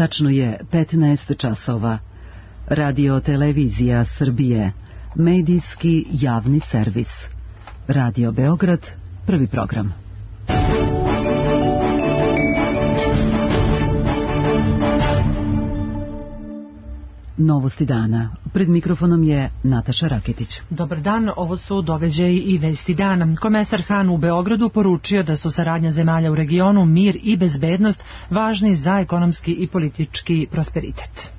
Tačno je 15 časova. Radio Televizija Srbije, medijski javni servis. Radio Beograd, prvi program. Novosti dana. Pred mikrofonom je Nataša Raketić. Dobar dan, ovo su događaji i vesti dana. Komesar Han u Beogradu poručio da su saradnja zemalja u regionu, mir i bezbednost važni za ekonomski i politički prosperitet.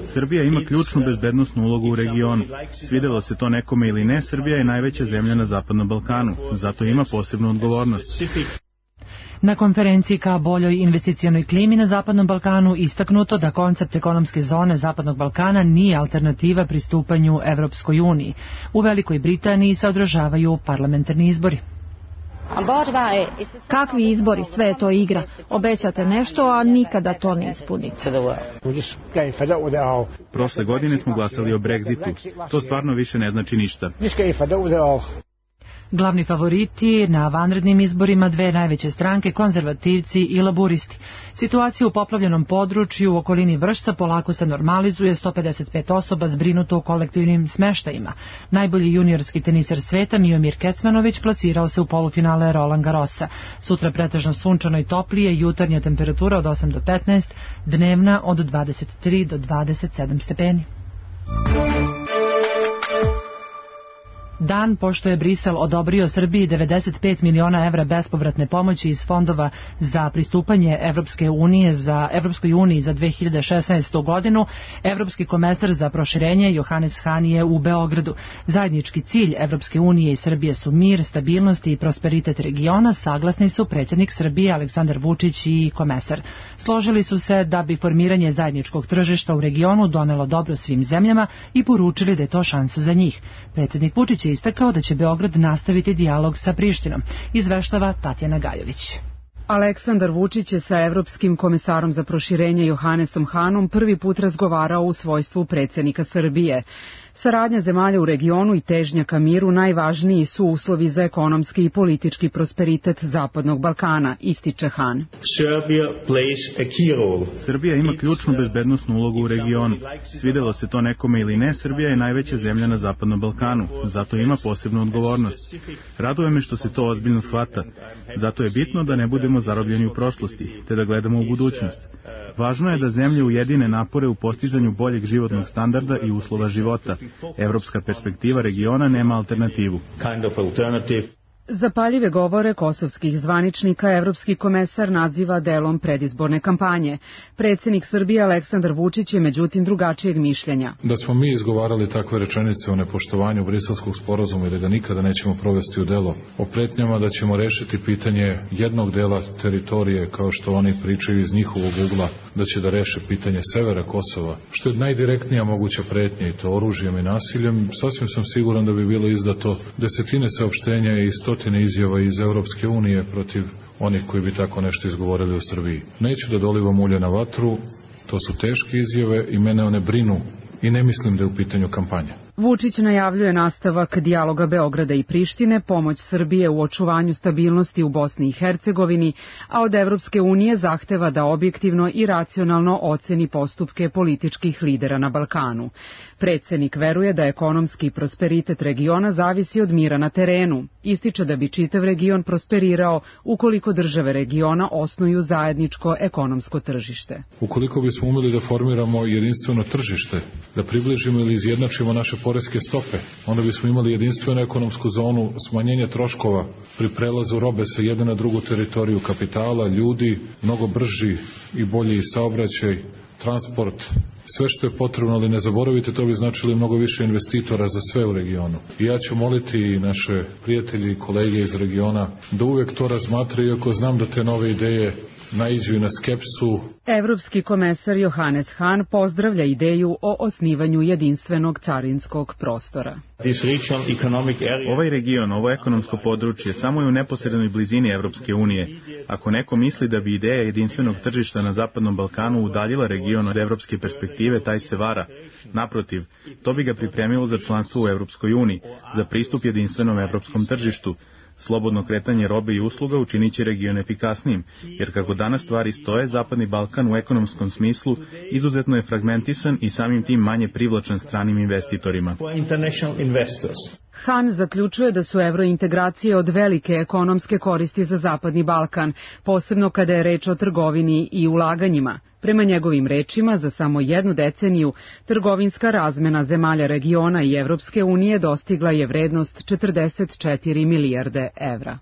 Srbija ima ključnu bezbednosnu ulogu u regionu. Svidelo se to nekome ili ne, Srbija je najveća zemlja na Zapadnom Balkanu, zato ima posebnu odgovornost. Na konferenciji ka boljoj investicionoj klimi na Zapadnom Balkanu istaknuto da koncept ekonomske zone Zapadnog Balkana nije alternativa pristupanju Evropskoj uniji. U Velikoj Britaniji se održavaju parlamentarni izbori. Kakvi izbori, sve je to igra. Obećate nešto, a nikada to ne ispunite. Prošle godine smo glasali o Brexitu. To stvarno više ne znači ništa. Glavni favoriti na vanrednim izborima dve najveće stranke, konzervativci i laburisti. Situacija u poplavljenom području u okolini Vršca polako se normalizuje, 155 osoba zbrinuto u kolektivnim smeštajima. Najbolji juniorski teniser sveta Miomir Kecmanović plasirao se u polufinale Roland Garrosa. Sutra pretežno sunčano i toplije, jutarnja temperatura od 8 do 15, dnevna od 23 do 27 stepeni. Dan pošto je Brisel odobrio Srbiji 95 miliona evra bespovratne pomoći iz fondova za pristupanje Evropskoj uniji za 2016. godinu, Evropski komesar za proširenje Johannes Hahn je u Beogradu. Zajednički cilj Evropske unije i Srbije su mir, stabilnost i prosperitet regiona, saglasni su predsjednik Srbije Aleksandar Vučić i komesar. Složili su se da bi formiranje zajedničkog tržišta u regionu donelo dobro svim zemljama i poručili da je to šansa za njih. Predsjednik Vučić je istakao da će Beograd nastaviti dijalog sa Prištinom, izveštava Tatjana Gajović. Aleksandar Vučić je sa Evropskim komesarom za proširenje Johannesom Hahnom prvi put razgovarao u svojstvu predsjednika Srbije. Saradnja zemalja u regionu i težnja ka miru najvažniji su uslovi za ekonomski i politički prosperitet Zapadnog Balkana, ističe Hahn. Srbija ima ključnu bezbednosnu ulogu u regionu. Svidelo se to nekome ili ne, Srbija je najveća zemlja na Zapadnom Balkanu, zato ima posebnu odgovornost. Raduje me što se to ozbiljno shvata. Zato je bitno da ne budemo zarobljeni u prošlosti, te da gledamo u budućnost. Važno je da zemlje ujedine napore u postizanju boljeg životnog standarda i uslova života. Evropska perspektiva regiona nema alternativu. Zapaljive govore kosovskih zvaničnika Evropski komesar naziva delom predizborne kampanje. Predsjednik Srbije Aleksandar Vučić je međutim drugačijeg mišljenja. Da smo mi izgovarali takve rečenice o nepoštovanju Briselskog sporazuma ili da nikada nećemo provesti u delo, o pretnjama da ćemo rešiti pitanje jednog dela teritorije kao što oni pričaju iz njihovog ugla, da će da reše pitanje severa Kosova, što je najdirektnija moguća pretnja i to oružjem i nasiljem, sasvim sam siguran da bi bilo izdato desetine saopštenja i stotine izjava iz Evropske unije protiv onih koji bi tako nešto izgovorili u Srbiji. Neću da dolivam ulje na vatru, to su teške izjave i mene one brinu i ne mislim da je u pitanju kampanja. Vučić najavljuje nastavak dijaloga Beograda i Prištine, pomoć Srbije u očuvanju stabilnosti u Bosni i Hercegovini, a od Evropske unije zahteva da objektivno i racionalno oceni postupke političkih lidera na Balkanu. Predsjednik veruje da ekonomski prosperitet regiona zavisi od mira na terenu. Ističe da bi čitav region prosperirao ukoliko države regiona osnuju zajedničko ekonomsko tržište. Ukoliko bismo umeli da formiramo jedinstveno tržište, da približimo ili izjednačimo naše poreske stope, onda bismo imali jedinstvenu ekonomsku zonu, smanjenje troškova pri prelazu robe sa jedne na drugu teritoriju kapitala, ljudi, mnogo brži i bolji saobraćaj, transport, sve što je potrebno, ali ne zaboravite, to bi značilo mnogo više investitora za sve u regionu. I ja ću moliti i naše prijatelji i kolege iz regiona da uvek to razmatraju, iako znam da te nove ideje naiđu i na skepsu. Evropski komesar Johannes Hahn pozdravlja ideju o osnivanju jedinstvenog carinskog prostora. Ovaj region, ovo ekonomsko područje, samo je u neposrednoj blizini Evropske unije. Ako neko misli da bi ideja jedinstvenog tržišta na Zapadnom Balkanu udaljila region od evropske perspektive, taj se vara. Naprotiv, to bi ga pripremilo za članstvo u Evropskoj uniji, za pristup jedinstvenom evropskom tržištu. Slobodno kretanje robe i usluga učinit će region efikasnijim, jer kako danas stvari stoje, Zapadni Balkan u ekonomskom smislu izuzetno je fragmentisan i samim tim manje privlačan stranim investitorima. Han zaključuje da su evrointegracije od velike ekonomske koristi za Zapadni Balkan, posebno kada je reč o trgovini i ulaganjima. Prema njegovim rečima, za samo jednu deceniju, trgovinska razmena zemalja regiona i Evropske unije dostigla je vrednost 44 milijarde evra.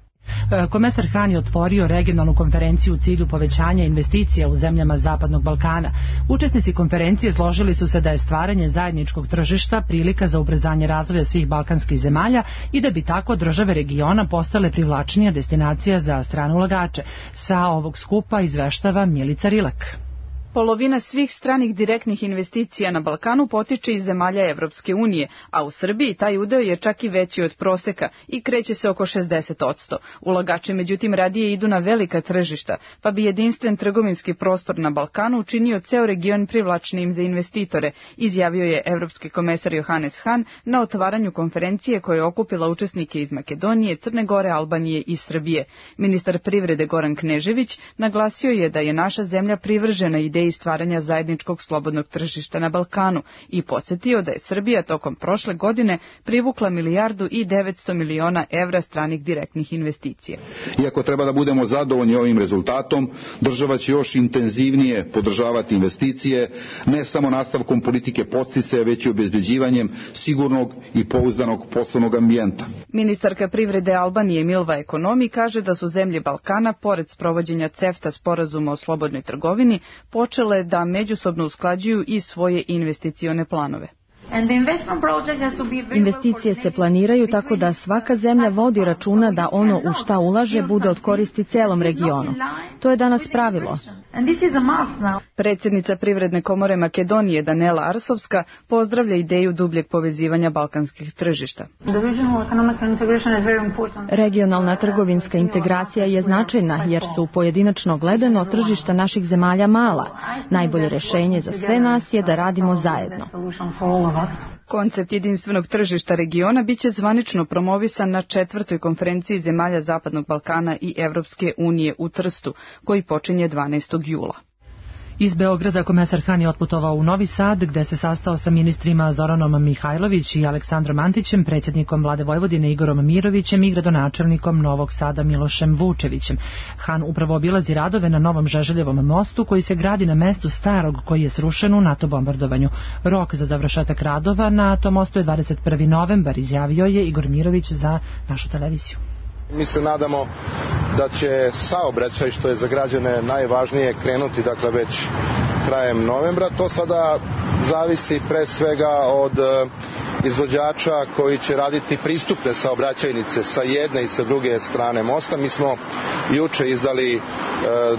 Komesar Han je otvorio regionalnu konferenciju u cilju povećanja investicija u zemljama Zapadnog Balkana. Učesnici konferencije složili su se da je stvaranje zajedničkog tržišta prilika za ubrzanje razvoja svih balkanskih zemalja i da bi tako države regiona postale privlačnija destinacija za strane ulagače. Sa ovog skupa izveštava Milica Rilak. Polovina svih stranih direktnih investicija na Balkanu potiče iz zemalja Evropske unije, a u Srbiji taj udeo je čak i veći od proseka i kreće se oko 60%. Ulagači međutim radije idu na velika tržišta, pa bi jedinstven trgovinski prostor na Balkanu učinio ceo region privlačnijim za investitore, izjavio je evropski komesar Johannes Hahn na otvaranju konferencije koja je okupila učesnike iz Makedonije, Crne Gore, Albanije i Srbije. Ministar privrede Goran Knežević naglasio je da je naša zemlja privržena ideji stvaranja zajedničkog slobodnog tržišta na Balkanu i podsjetio da je Srbija tokom prošle godine privukla 1,9 milijardi evra stranih direktnih investicija. Iako treba da budemo zadovoljni ovim rezultatom, država će još intenzivnije podržavati investicije, ne samo nastavkom politike podsticaja, već i obezbeđivanjem sigurnog i pouzdanog poslovnog ambijenta. Ministarka privrede Albanije Milva Ekonomi kaže da su zemlje Balkana, pored sprovođenja CEFTA sporazuma o slobodnoj trgovini, počele da međusobno usklađuju i svoje investicione planove. Investicije se planiraju tako da svaka zemlja vodi računa da ono u šta ulaže bude od koristi celom regionu. To je danas pravilo. Predsjednica Privredne komore Makedonije Danela Arsovska pozdravlja ideju dubljeg povezivanja balkanskih tržišta. Regionalna trgovinska integracija je značajna jer su pojedinačno gledano tržišta naših zemalja mala. Najbolje rešenje za sve nas je da radimo zajedno. Koncept jedinstvenog tržišta regiona biće zvanično promovisan na 4. konferenciji zemalja Zapadnog Balkana i Evropske unije u Trstu, koji počinje 12. jula. Iz Beograda komesar Han je otputovao u Novi Sad, gde se sastao sa ministrima Zoranom Mihajlović i Aleksandrom Antićem, predsjednikom vlade Vojvodine Igorom Mirovićem i gradonačelnikom Novog Sada Milošem Vučevićem. Han upravo obilazi radove na novom Žeželjevom mostu koji se gradi na mestu starog koji je srušen u NATO bombardovanju. Rok za završetak radova na tom mostu je 21. novembar, izjavio je Igor Mirović za našu televiziju. Mi se nadamo da će saobraćaj, što je za građane najvažnije, krenuti dakle već krajem novembra. To sada zavisi pre svega od izvođača koji će raditi pristupne saobraćajnice sa jedne i sa druge strane mosta. Mi smo juče izdali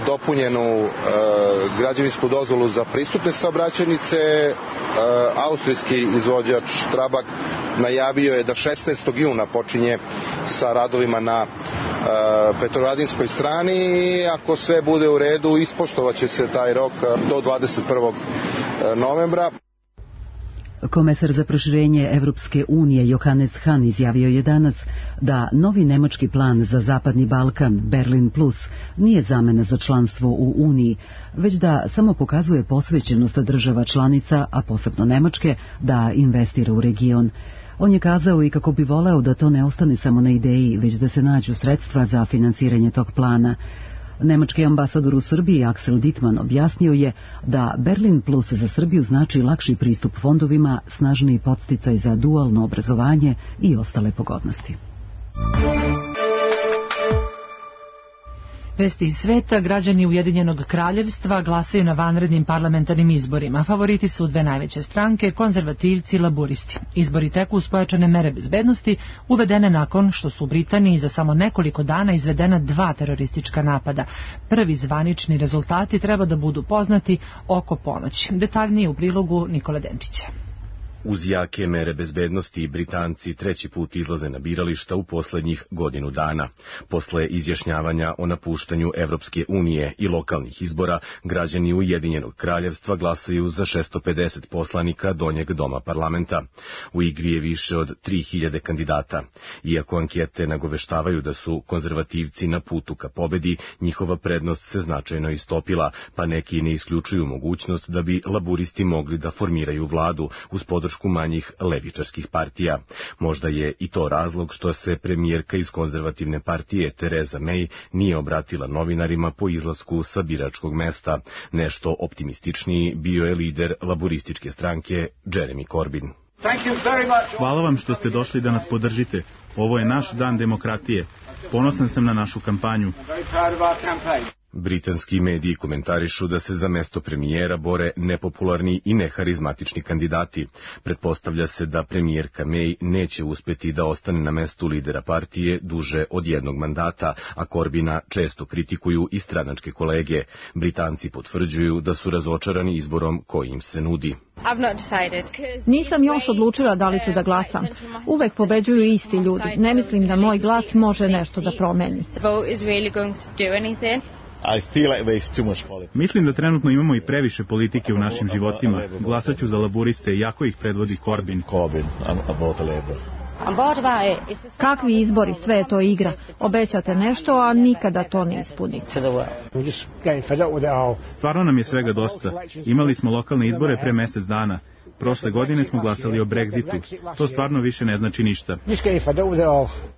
dopunjenu građevinsku dozvolu za pristupne saobraćajnice. Austrijski izvođač Trabak najavio je da 16. juna počinje sa radovima na Petrovaradinskoj strani i ako sve bude u redu ispoštovaće se taj rok do 21. novembra. Komesar za proširenje Evropske unije Johannes Hahn izjavio je danas da novi nemački plan za Zapadni Balkan, Berlin Plus, nije zamena za članstvo u Uniji, već da samo pokazuje posvećenost država članica, a posebno Nemačke, da investira u region. On je kazao i kako bi voleo da to ne ostane samo na ideji, već da se nađu sredstva za finansiranje tog plana. Nemački ambasador u Srbiji Axel Dittmann objasnio je da Berlin Plus za Srbiju znači lakši pristup fondovima, snažniji podsticaj za dualno obrazovanje i ostale pogodnosti. Vesti iz sveta, građani Ujedinjenog kraljevstva glasaju na vanrednim parlamentarnim izborima. Favoriti su dve najveće stranke, konzervativci i laburisti. Izbori teku uz pojačane mere bezbednosti, uvedene nakon što su u Britaniji za samo nekoliko dana izvedena 2 teroristička napada. Prvi zvanični rezultati treba da budu poznati oko ponoći. Detaljnije u prilogu Nikola Denčića. Uz jake mere bezbednosti, Britanci treći put izlaze na birališta u poslednjih godinu dana. Posle izjašnjavanja o napuštanju Evropske unije i lokalnih izbora, građani Ujedinjenog kraljevstva glasaju za 650 poslanika donjeg doma parlamenta. U igri je više od 3000 kandidata. Iako ankete nagoveštavaju da su konzervativci na putu ka pobedi, njihova prednost se značajno istopila, pa neki ne isključuju mogućnost da bi laburisti mogli da formiraju vladu uz podršku manjih levičarskih partija. Možda je i to razlog što se premijerka iz konzervativne partije Theresa May nije obratila novinarima po izlasku sa biračkog mesta. Nešto optimističniji bio je lider laburističke stranke Jeremy Corbyn. Hvala vam što ste došli da nas podržite. Ovo je naš dan demokratije. Ponosan sam na našu kampanju. Britanski mediji komentarišu da se za mesto premijera bore nepopularni i neharizmatični kandidati. Pretpostavlja se da premijerka May neće uspeti da ostane na mestu lidera partije duže od jednog mandata, a Corbina često kritikuju i stranačke kolege. Britanci potvrđuju da su razočarani izborom koji im se nudi. Nisam još odlučila da li ću da glasam. Uvek pobeđuju isti ljudi. Ne mislim da moj glas može nešto da promeni. Mislim da trenutno imamo i previše politike u našim životima. Glasaću za laburiste, iako ih predvodi Corbyn. Kakvi izbori, sve je to igra. Obećate nešto, a nikada to ne ispunite. Stvarno nam je svega dosta. Imali smo lokalne izbore pre mesec dana. Prošle godine smo glasali o Brexitu. To stvarno više ne znači ništa.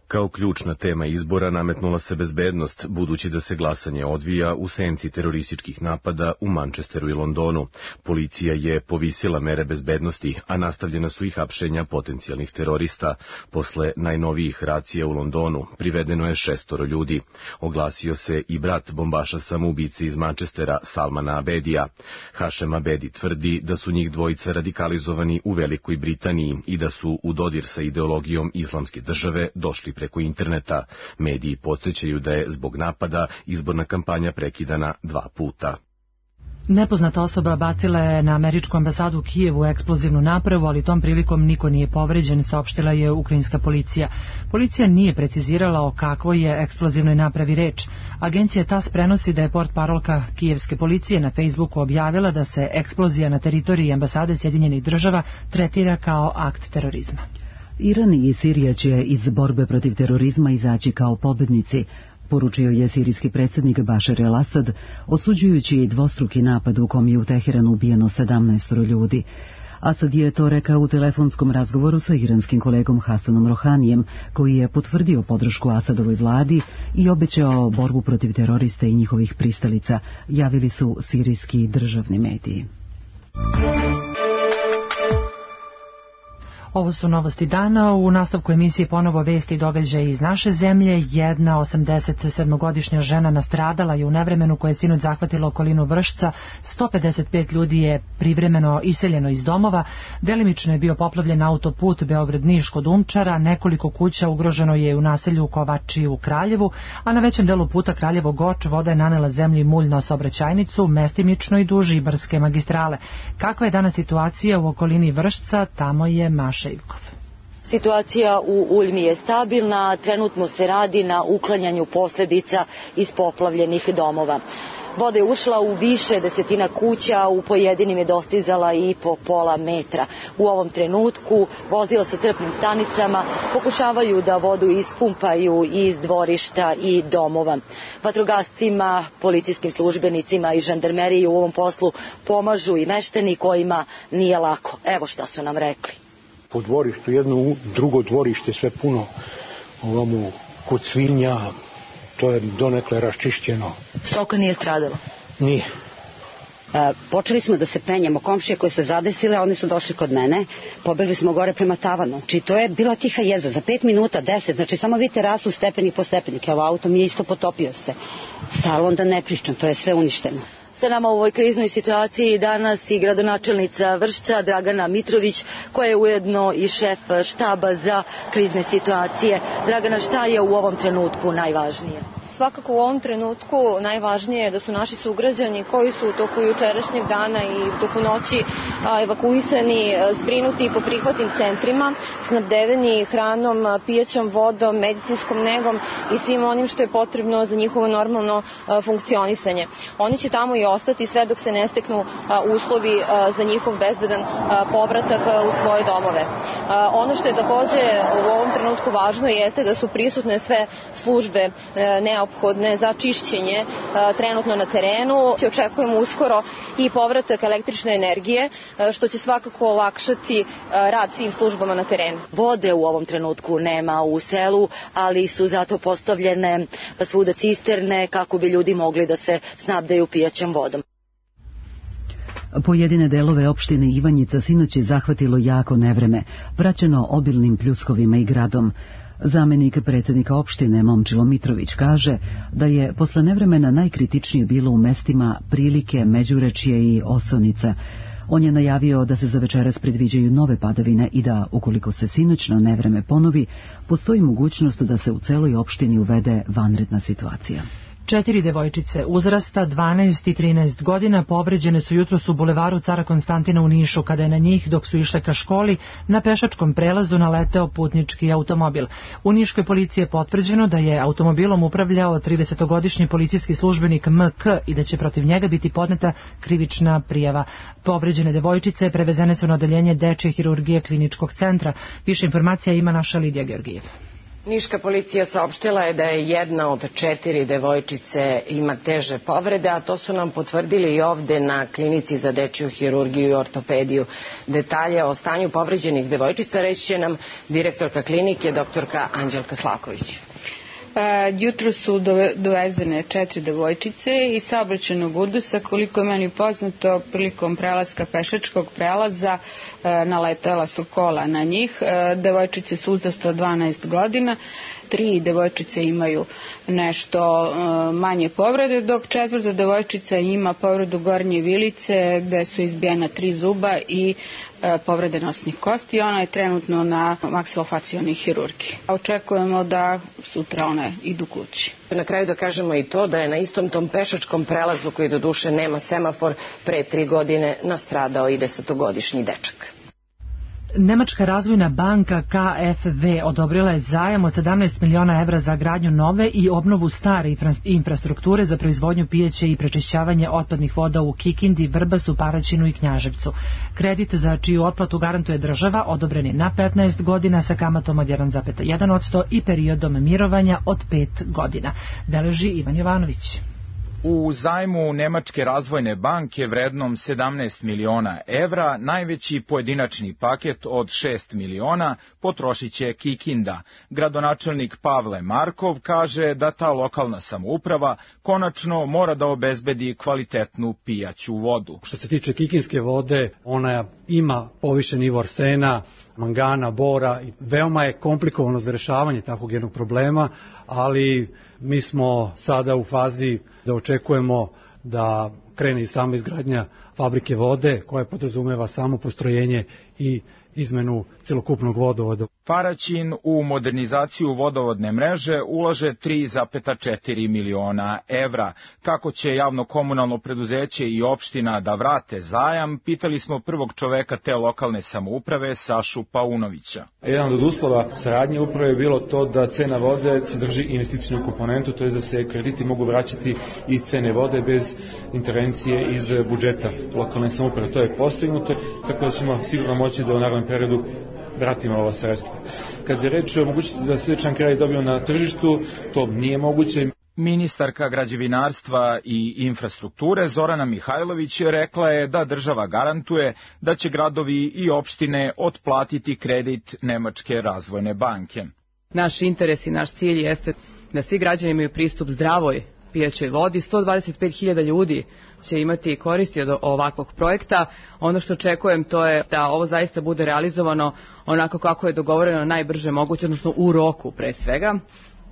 Kao ključna tema izbora nametnula se bezbednost, budući da se glasanje odvija u senci terorističkih napada u Manchesteru i Londonu. Policija je povisila mere bezbednosti, a nastavljena su i hapšenja potencijalnih terorista. Posle najnovijih racija u Londonu privedeno je 6 ljudi. Oglasio se i brat bombaša samoubice iz Manchestera, Salmana Abedija. Hašem Abedi tvrdi da su njih dvojica radikalizovani u Velikoj Britaniji i da su u dodir sa ideologijom islamske države došli preko interneta. Mediji podsjećaju da je zbog napada izborna kampanja prekidana 2 puta. Nepoznata osoba bacila je na američku ambasadu u Kijevu eksplozivnu napravu, ali tom prilikom niko nije povređen, saopštila je ukrajinska policija. Policija nije precizirala o kakvoj je eksplozivnoj napravi reč. Agencija TASS prenosi da je portparolka kijevske policije na Facebooku objavila da se eksplozija na teritoriji ambasade Sjedinjenih Država tretira kao akt terorizma. Iran i Sirija će iz borbe protiv terorizma izaći kao pobednici, poručio je sirijski predsjednik Bašar el-Asad, osuđujući dvostruki napad u kom je u Teheranu ubijeno 17 ljudi. Asad je to rekao u telefonskom razgovoru sa iranskim kolegom Hasanom Rohanijem, koji je potvrdio podršku Asadovoj vladi i obećao borbu protiv terorista i njihovih pristalica, javili su sirijski državni mediji. Ovo su novosti dana. U nastavku emisije ponovo vesti i događaje iz naše zemlje. Jedna 87-godišnja žena nastradala je u nevremenu koje je sinoć zahvatilo okolinu Vršca. 155 ljudi je privremeno iseljeno iz domova. Delimično je bio poplavljen autoput Beograd-Niš kod Umčara. Nekoliko kuća ugroženo je u naselju Kovači u Kraljevu, a na većem delu puta Kraljevo-Goč voda je nanela zemlji mulj na saobraćajnicu, mestimično i duž Ibarske magistrale. Kakva je danas situacija u okolini Vršca? Tamo je Maša Ivkov. Situacija u Uljmi je stabilna, trenutno se radi na uklanjanju posljedica iz poplavljenih domova. Voda je ušla u više desetina kuća, u pojedinim je dostizala i po pola metra. U ovom trenutku vozila sa crpnim stanicama pokušavaju da vodu ispumpaju iz dvorišta i domova. Vatrogascima, policijskim službenicima i žandarmeriji u ovom poslu pomažu i meštani kojima nije lako. Evo šta su nam rekli. Po dvorištu jedno, drugo dvorište, sve puno ovamo kod svinja, to je donekle raščišćeno. Stoka nije stradala? Nije. Počeli smo da se penjemo, komšije koje se zadesile, oni su došli kod mene, pobegli smo gore prema tavanu. Znači to je bila tiha jeza, za 5 minuta, 10, znači samo vidite rastu stepenik po stepenik, evo auto mi je isto potopio se. Salon da ne pričam, to je sve uništeno. Sa nama u ovoj kriznoj situaciji danas i gradonačelnica Vršca Dragana Mitrović, koja je ujedno i šef štaba za krizne situacije. Dragana, šta je u ovom trenutku najvažnije? Svakako u ovom trenutku najvažnije je da su naši sugrađani koji su u toku jučerašnjeg dana i u toku noći evakuisani, zbrinuti po prihvatnim centrima, snabdeveni hranom, pijaćom vodom, medicinskom negom i svim onim što je potrebno za njihovo normalno funkcionisanje. Oni će tamo i ostati sve dok se ne steknu uslovi za njihov bezbedan povratak u svoje domove. Ono što je takođe u ovom trenutku važno jeste da su prisutne sve službe neophodne za čišćenje trenutno na terenu. Očekujemo uskoro i povratak električne energije, što će svakako olakšati rad svim službama na terenu. Vode u ovom trenutku nema u selu, ali su zato postavljene svuda cisterne kako bi ljudi mogli da se snabdeju pijaćom vodom. Pojedine delove opštine Ivanjica sinoć je zahvatilo jako nevreme, praćeno obilnim pljuskovima i gradom. Zamenik predsjednika opštine Momčilo Mitrović kaže da je posle nevremena najkritičnije bilo u mestima Prilike, Međurečje i Osonica. On je najavio da se za večeras predviđaju nove padavine i da, ukoliko se sinoćno nevreme ponovi, postoji mogućnost da se u celoj opštini uvede vanredna situacija. 4 devojčice uzrasta 12 i 13 godina povređene su jutros u bulevaru Cara Konstantina u Nišu, kada je na njih, dok su išle ka školi, na pešačkom prelazu naleteo putnički automobil. U niškoj policiji je potvrđeno da je automobilom upravljao 30-godišnji policijski službenik MK i da će protiv njega biti podneta krivična prijava. Povređene devojčice prevezene su na odeljenje dečje hirurgije kliničkog centra. Više informacija ima naša Lidija Georgijev. Niška policija saopštila je da je jedna od 4 devojčice ima teže povrede, a to su nam potvrdili i ovde na klinici za dečju hirurgiju i ortopediju. Detalje o stanju povređenih devojčica reći će nam direktorka klinike, doktorka Anđelka Slaković. Jutro su dovezene 4 devojčice iz saobraćajnog udusa. Koliko je meni poznato, prilikom prelaska pešačkog prelaza naletela su kola na njih. Devojčice su uzrasta od 12 godina. 3 devojčice imaju nešto manje povrede, dok 4. devojčica ima povredu gornje vilice gde su izbijena 3 zuba i povrede nosnih kosti. Ona je trenutno na maksilofacijalnoj hirurgiji. Očekujemo da sutra one idu kući. Na kraju da kažemo i to da je na istom tom pešačkom prelazu, koji do duše nema semafor, pre 3 godine nastradao i 10-godišnji dečak. Nemačka razvojna banka KfW odobrila je zajam od 17 miliona evra za gradnju nove i obnovu stare infrastrukture za proizvodnju pijaće i prečišćavanje otpadnih voda u Kikindi, Vrbasu, Paraćinu i Knjaževcu. Kredit za čiju otplatu garantuje država odobren je na 15 godina sa kamatom od 1,1% i periodom mirovanja od 5 godina. Beleži Ivan Jovanović. U zajmu Nemačke razvojne banke vrednom 17 miliona evra najveći pojedinačni paket od 6 miliona potrošit će Kikinda. Gradonačelnik Pavle Markov kaže da ta lokalna samouprava konačno mora da obezbedi kvalitetnu pijaću vodu. Što se tiče kikinske vode, ona ima povišen nivo arsena, mangana, bora i veoma je komplikovano za rešavanje takvog jednog problema, ali mi smo sada u fazi da očekujemo da krene i sama izgradnja fabrike vode koja podrazumeva samo postrojenje i izmenu celokupnog vodovoda. Paraćin u modernizaciju vodovodne mreže ulaže 3,4 miliona evra. Kako će javno-komunalno preduzeće i opština da vrate zajam, pitali smo prvog čoveka te lokalne samouprave, Sašu Paunovića. Jedan od uslova saradnje upravo je bilo to da cena vode sadrži investicijnu komponentu, to je da se krediti mogu vraćati iz cene vode bez intervencije iz budžeta lokalne samouprave. To je postignuto, tako da ćemo sigurno moći da u narednom periodu vratimo ova sredstva. Kad je reč o mogućnosti da sličan kraj dobiju na tržištu, to nije moguće. Ministarka građevinarstva i infrastrukture Zorana Mihajlović rekla je da država garantuje da će gradovi i opštine otplatiti kredit Nemačke razvojne banke. Naš interes i naš cilj jeste da svi građani imaju pristup zdravoj pijaćoj vodi. 125.000 ljudi će imati koristi od ovakvog projekta. Ono što očekujem to je da ovo zaista bude realizovano onako kako je dogovoreno najbrže moguće, odnosno u roku pre svega,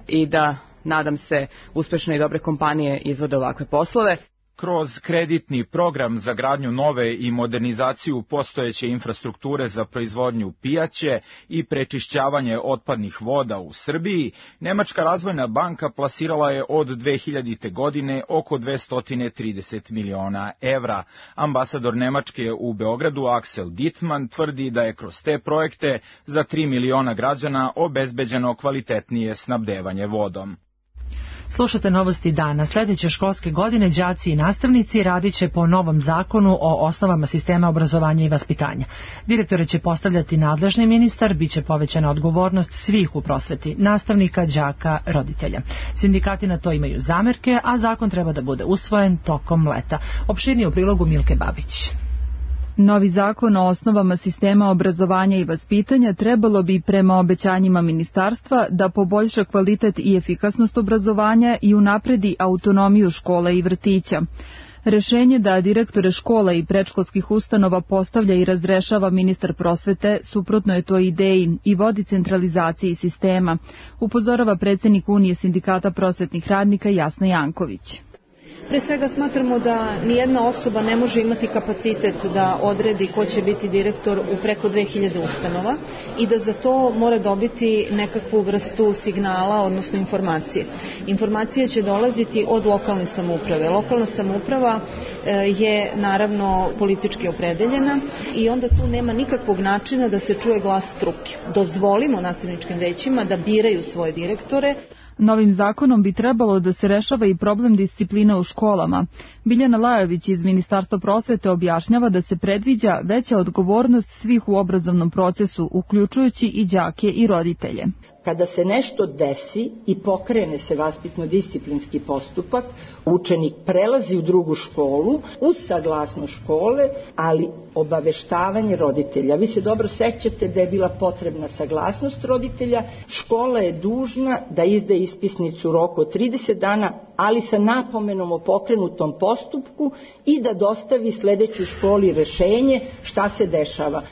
i da, nadam se, uspešne i dobre kompanije izvode ovakve poslove. Kroz kreditni program za gradnju nove i modernizaciju postojeće infrastrukture za proizvodnju pijaće i prečišćavanje otpadnih voda u Srbiji, Nemačka razvojna banka plasirala je od 2000. godine oko 230 miliona evra. Ambasador Nemačke u Beogradu Axel Dittmann tvrdi da je kroz te projekte za 3 miliona građana obezbeđeno kvalitetnije snabdevanje vodom. Slušate novosti dana. Sljedeće školske godine đaci i nastavnici radit će po novom zakonu o osnovama sistema obrazovanja i vaspitanja. Direktore će postavljati nadležni ministar, bit će povećana odgovornost svih u prosveti, nastavnika, đaka, roditelja. Sindikati na to imaju zamerke, a zakon treba da bude usvojen tokom leta. Opširnije u prilogu Milke Babić. Novi zakon o osnovama sistema obrazovanja i vaspitanja trebalo bi prema obećanjima ministarstva da poboljša kvalitet i efikasnost obrazovanja i unapredi autonomiju škola i vrtića. Rešenje da direktore škola i predškolskih ustanova postavlja i razrešava ministar prosvete suprotno je toj ideji i vodi centralizaciji sistema, upozorava predsjednik Unije sindikata prosvetnih radnika Jasna Janković. Pre svega smatramo da nijedna osoba ne može imati kapacitet da odredi ko će biti direktor u preko 2000 ustanova i da za to mora dobiti nekakvu vrstu signala, odnosno informacije. Informacije će dolaziti od lokalne samouprave. Lokalna samouprava je naravno politički opredeljena i onda tu nema nikakvog načina da se čuje glas struke. Dozvolimo nastavničkim većima da biraju svoje direktore. Novim zakonom bi trebalo da se rešava i problem discipline u školama. Biljana Lajović iz Ministarstva prosvete objašnjava da se predviđa veća odgovornost svih u obrazovnom procesu, uključujući i đake i roditelje. Kada se nešto desi i pokrene se vaspitno-disciplinski postupak, učenik prelazi u drugu školu uz saglasnost škole, ali obaveštavanje roditelja. Vi se dobro sećate da je bila potrebna saglasnost roditelja. Škola je dužna da izda ispisnicu u roku od 30 dana, ali sa napomenom o pokrenutom postupku i da dostavi sledećoj školi rešenje šta se dešava.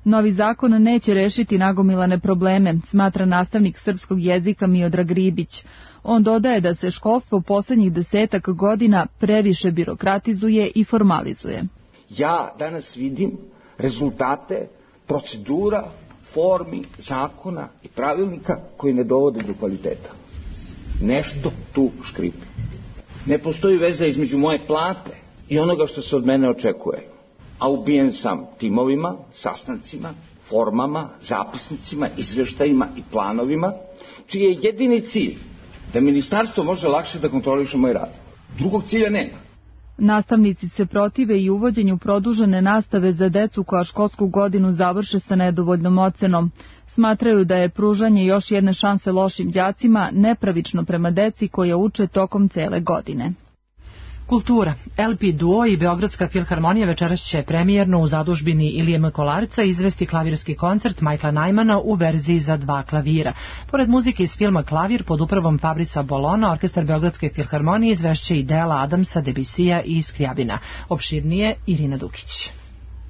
Novi zakon neće rešiti nagomilane probleme, smatra nastavnik srpskog jezika Miodrag Ribić. On dodaje da se školstvo poslednjih 10 godina previše birokratizuje i formalizuje. Ja danas vidim rezultate procedura, formi, zakona i pravilnika koji ne dovode do kvaliteta. Nešto tu škripi. Ne postoji veza između moje plate i onoga što se od mene očekuje. A ubijen sam timovima, sastancima, formama, zapisnicima, izveštajima i planovima, čiji je jedini cilj da ministarstvo može lakše da kontroliše moj rad. Drugog cilja nema. Nastavnici se protive i uvođenju produžene nastave za decu koja školsku godinu završe sa nedovoljnom ocenom. Smatraju da je pružanje još jedne šanse lošim đacima nepravično prema deci koja uče tokom cele godine. Kultura. LP Duo i Beogradska filharmonija večeras će premijerno u zadužbini Ilije Kolarca izvesti klavirski koncert Michaela Najmana u verziji za 2 klavira. Pored muzike iz filma Klavir pod upravom Fabrica Bolona, orkestar Beogradske filharmonije izvešće i dela Adamsa, Debisija i Skrijabina. Opširnije Irina Dukić.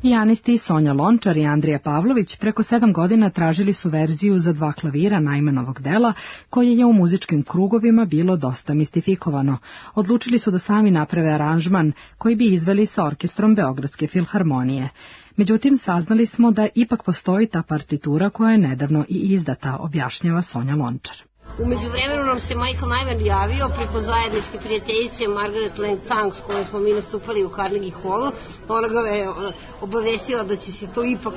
Pijanisti Sonja Lončar i Andrija Pavlović preko 7 godina tražili su verziju za 2 klavira Najmanovog dela, koje je u muzičkim krugovima bilo dosta mistifikovano. Odlučili su da sami naprave aranžman koji bi izveli sa orkestrom Beogradske filharmonije. Međutim, saznali smo da ipak postoji ta partitura koja je nedavno i izdata, objašnjava Sonja Lončar. U međuvremenu nam se Michael Nyman javio preko zajedničke prijateljice Margaret Lang Tang s kojom smo mi nastupali u Carnegie Hallu. Ona ga je obavestila da će se to ipak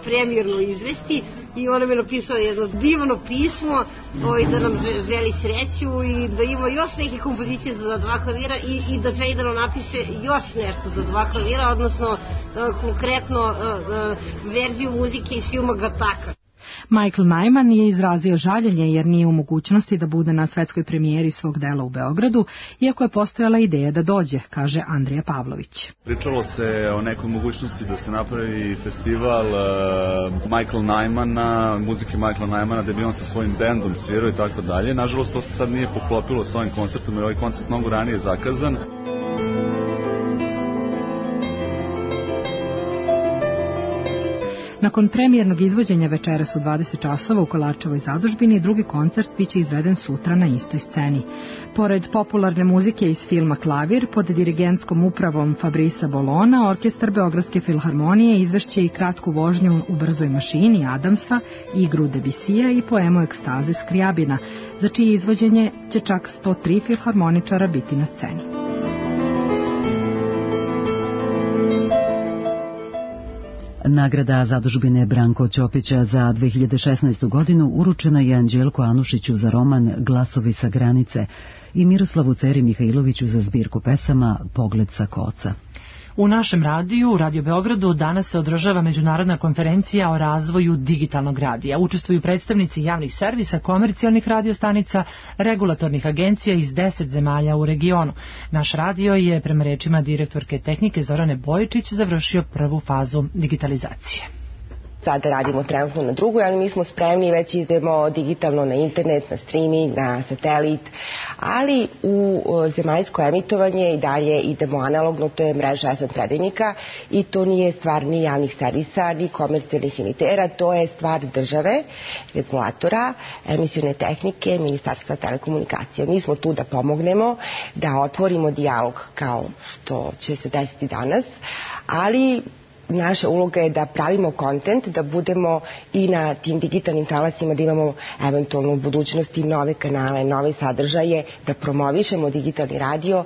premijerno izvesti i ona mi je napisala jedno divno pismo da nam želi sreću i da ima još neke kompozicije za 2 klavira i da želi da nam napiše još nešto za 2 klavira, odnosno konkretno verziju muzike iz filma Gataka. Michael Nyman je izrazio žaljenje jer nije u mogućnosti da bude na svetskoj premijeri svog dela u Beogradu, iako je postojala ideja da dođe, kaže Andrija Pavlović. Pričalo se o nekoj mogućnosti da se napravi festival Michael Nymana, muzike Michaela Nymana, da bi on sa svojim bendom svirao i tako dalje. Nažalost, to se sad nije poklopilo sa ovim koncertom, jer ovaj koncert mnogo ranije zakazan. Nakon premijernog izvođenja večeras u 20 časova u Kolarčevoj zadužbini, drugi koncert biće izveden sutra na istoj sceni. Pored popularne muzike iz filma Klavir, pod dirigentskom upravom Fabrisa Bolona, orkestar Beogradske filharmonije izvešće i kratku vožnju u brzoj mašini Adamsa, igru Debisija i poemu Ekstaze Skrijabina, za čije izvođenje će čak 103 filharmoničara biti na sceni. Nagrada zadužbine Branko Ćopića za 2016. godinu uručena je Anđelku Anušiću za roman Glasovi sa granice i Miroslavu Ceri Mihajloviću za zbirku pesama Pogled sa koca. U našem radiju, u Radio Beogradu, danas se održava međunarodna konferencija o razvoju digitalnog radija. Učestvuju predstavnici javnih servisa, komercijalnih radiostanica, regulatornih agencija iz 10 zemalja u regionu. Naš radio je, prema rečima direktorke tehnike Zorane Bojičić, završio prvu fazu digitalizacije. Sada radimo trenutno na drugoj, ali mi smo spremni, već idemo digitalno na internet, na streaming, na satelit, ali u zemaljsko emitovanje i dalje idemo analogno, to je mreža FM predajnika i to nije stvar ni javnih servisa, ni komercijalnih emitera, to je stvar države, regulatora, emisione tehnike, Ministarstva telekomunikacija. Mi smo tu da pomognemo, da otvorimo dijalog kao što će se desiti danas, ali naša uloga je da pravimo kontent, da budemo i na tim digitalnim talasima, da imamo eventualno u budućnosti nove kanale, nove sadržaje, da promovišemo digitalni radio.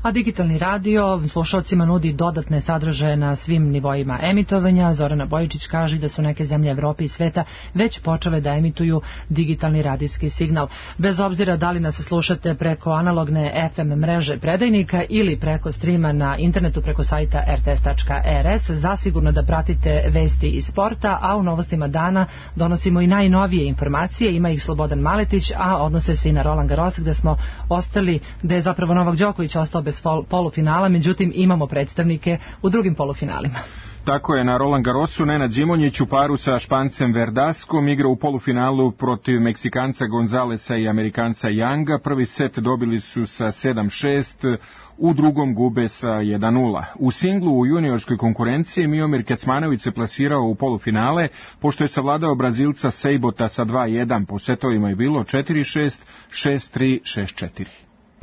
A digitalni radio slušalcima nudi dodatne sadržaje na svim nivoima emitovanja. Zorana Bojičić kaže da su neke zemlje Evrope i sveta već počele da emituju digitalni radijski signal. Bez obzira da li nas slušate preko analogne FM mreže predajnika ili preko streama na internetu preko sajta rts.rs, zasigurno da pratite vesti iz sporta, a u novostima dana donosimo i najnovije informacije. Ima ih Slobodan Maletić, a odnose se i na Roland Garros, gde smo ostali, gde je zapravo Novak Đoković ostao bez polufinala, međutim imamo predstavnike u drugim polufinalima. Tako je, na Roland Garrosu Nenad Zimonjić u paru sa Špancem Verdaskom igra u polufinalu protiv Meksikanca Gonzalesa i Amerikanca Younga. Prvi set dobili su sa 7-6, u drugom gube sa 1-0. U singlu u juniorskoj konkurenciji Miomir Kecmanović se plasirao u polufinale, pošto je savladao Brazilca Sejbota sa 2-1. Po setovima je bilo 4-6, 6-3, 6-4.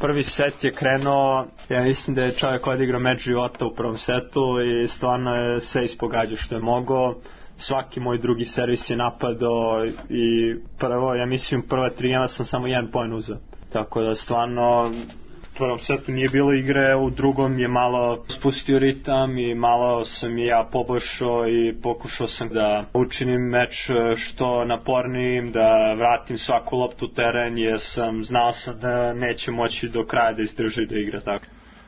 Prvi set je krenuo, ja mislim da je čovjek odigrao meč života u prvom setu i stvarno je sve ispogađao što je mogao. Svaki moj drugi servis je napadao i prvo, ja mislim prva 3 gema sam samo 1 poen uzeo. Tako da stvarno u prvom setu nije bilo igre, u drugom je malo spustio ritam i malo sam i ja poboljšao i pokušao sam da učinim meč što napornijim, da vratim svaku loptu u teren jer znao sam da neće moći do kraja da izdrži da igra tako.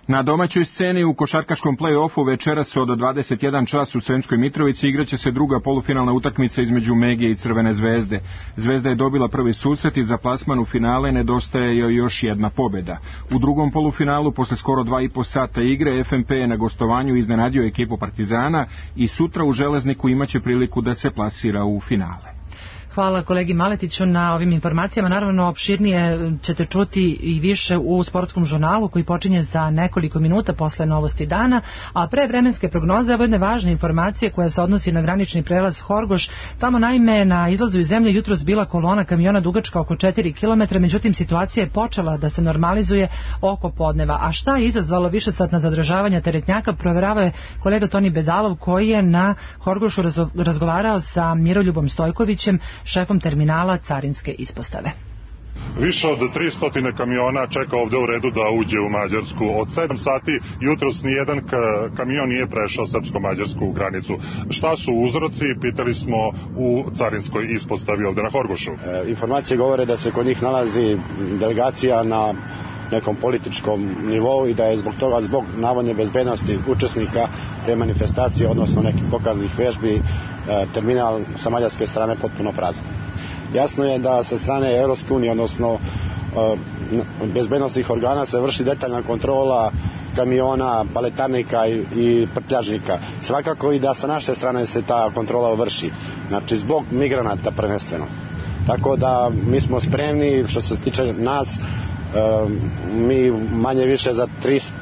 Na domaćoj sceni u košarkaškom play-offu večeras od 21 čas u Sremskoj Mitrovici igraće se druga polufinalna utakmica između Megije i Crvene Zvezde. Zvezda je dobila prvi susret i za plasman u finale nedostaje joj još jedna pobjeda. U drugom polufinalu, posle skoro 2,5 sata igre, FNP je na gostovanju iznenadio ekipu Partizana i sutra u Železniku imaće priliku da se plasira u finale. Hvala kolegi Maletiću na ovim informacijama. Naravno, opširnije ćete čuti i više u sportskom žurnalu koji počinje za nekoliko minuta posle novosti dana, a pre vremenske prognoze ovo je jedna važna informacija koja se odnosi na granični prelaz Horgoš. Tamo naime na izlazu iz zemlje jutros bila kolona kamiona dugačka oko 4 km, međutim situacija je počela da se normalizuje oko podneva. A šta je izazvalo višesatna zadržavanja teretnjaka, proveravao je kolega Toni Bedalov koji je na Horgošu razgovarao sa Miroljubom Stojkovićem, šefom terminala carinske ispostave. Više od 300 kamiona čeka ovde u redu da uđe u Mađarsku. Od 7 sati jutros nijedan kamion nije prešao srpsko-mađarsku granicu. Šta su uzroci? Pitali smo u carinskoj ispostavi ovde na Horgošu. Informacije govore da se kod njih nalazi delegacija na nekom političkom nivou i da je zbog toga, zbog navodne bezbednosti učesnika te manifestacije, odnosno nekih pokaznih vežbi, terminal sa mađarske strane potpuno prazan. Jasno je da sa strane Evropske unije, odnosno bezbednostnih organa, se vrši detaljna kontrola kamiona, paletarnika i prtljažnika. Svakako i da sa naše strane se ta kontrola vrši, znači zbog migranata prvenstveno. Tako da mi smo spremni, što se tiče nas, mi manje više za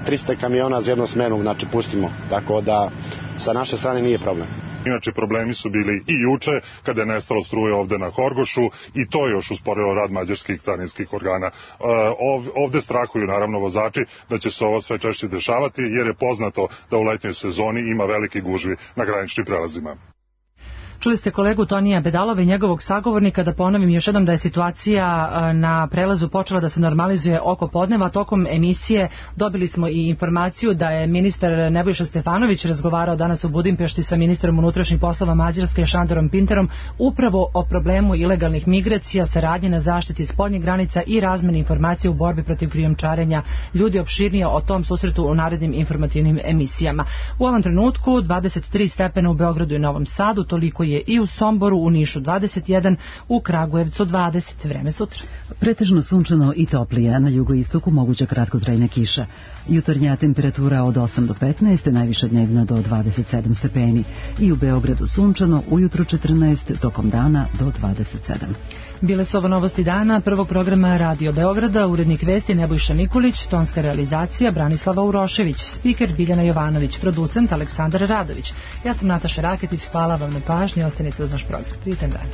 300 kamiona za jednu smenu, znači pustimo, tako da sa naše strane nije problem. Inače, problemi su bili i juče, kada je nestalo struje ovde na Horgošu, i to je još usporilo rad mađarskih carinskih organa. Ovde strahuju naravno vozači da će se ovo sve češće dešavati, jer je poznato da u letnjoj sezoni ima veliki gužvi na graničnim prelazima. Čuli ste kolegu Tonija Bedalova i njegovog sagovornika. Da ponovim još jednom da je situacija na prelazu počela da se normalizuje oko podneva. Tokom emisije dobili smo i informaciju da je ministar Nebojša Stefanović razgovarao danas u Budimpešti sa ministrom unutrašnjih poslova Mađarske Šandorom Pinterom upravo o problemu ilegalnih migracija, saradnje na zaštiti spoljnih granica i razmeni informacija u borbi protiv krijumčarenja ljudi. Opširnije o tom susretu u narednim informativnim emisijama. U ovom trenutku 23 stepena u Beogradu i Novom Sadu, toliko je i u Somboru, u Nišu 21, u Kragujevcu 20. Vreme sutra. Pretežno sunčano i toplije, na jugoistoku moguća kratkotrajna kiša. Jutarnja temperatura od 8 do 15, najviša dnevna do 27 stepeni. I u Beogradu sunčano, ujutro 14, tokom dana do 27. Bile su ovo novosti dana prvog programa Radio Beograda, urednik vesti Nebojša Nikolić, tonska realizacija Branislava Urošević, spiker Biljana Jovanović, producent Aleksandar Radović. Ja sam Nataša Raketić, hvala vam na pažnji, ostanite uz naš program. Prijetan dan.